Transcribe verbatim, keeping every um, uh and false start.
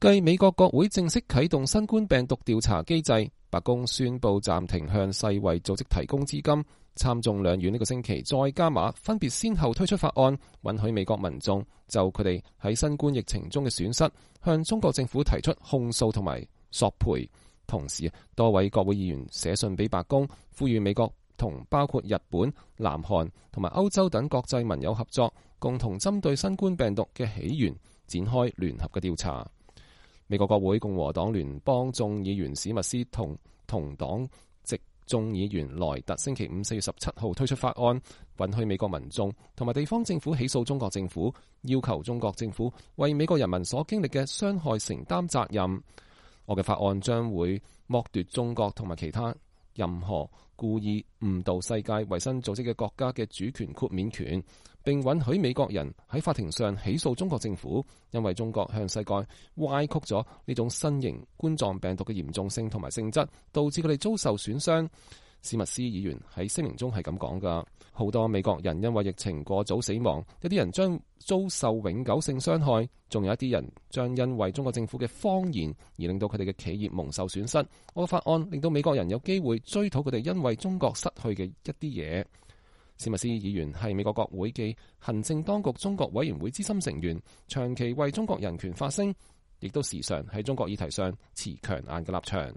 繼美國國會正式啟動新冠病毒調查機制，白宮宣布暫停向世衛組織提供資金。參眾兩院呢個星期再加碼，分別先後推出法案，允許美國民眾就佢哋喺新冠疫情中嘅損失，向中國政府提出控訴同埋索賠。同時，多位國會議員寫信俾白宮，呼籲美國同包括日本、南韓同埋歐洲等國際盟友合作，共同針對新冠病毒嘅起源展開聯合嘅調查。美國國會共和黨聯邦眾議員史密斯同同黨籍眾議員萊特星期五四月十七號推出法案，允許美國民眾同埋地方政府起訴中國政府，要求中國政府為美國人民所經歷嘅傷害承擔責任。我嘅法案將會剝奪中國同埋其他任何故意誤導世界衛生組織嘅國家嘅主權豁免權，並允許美國人喺法庭上起訴中國政府，因為中國向世界歪曲咗呢種新型冠狀病毒嘅嚴重性同埋性質，導致佢哋遭受損傷。史密斯議員喺聲明中係咁講噶，好多美國人因為疫情過早死亡，有啲人將遭受永久性傷害，仲有一啲人將因為中國政府嘅謊言而令到佢哋嘅企業蒙受損失。我嘅法案令到美國人有機會追討佢哋因為中國失去嘅一啲嘢。史密斯議員係美國國會嘅行政當局中國委員會資深成員，長期為中國人權發聲，亦都時常喺中國議題上持強硬嘅立場。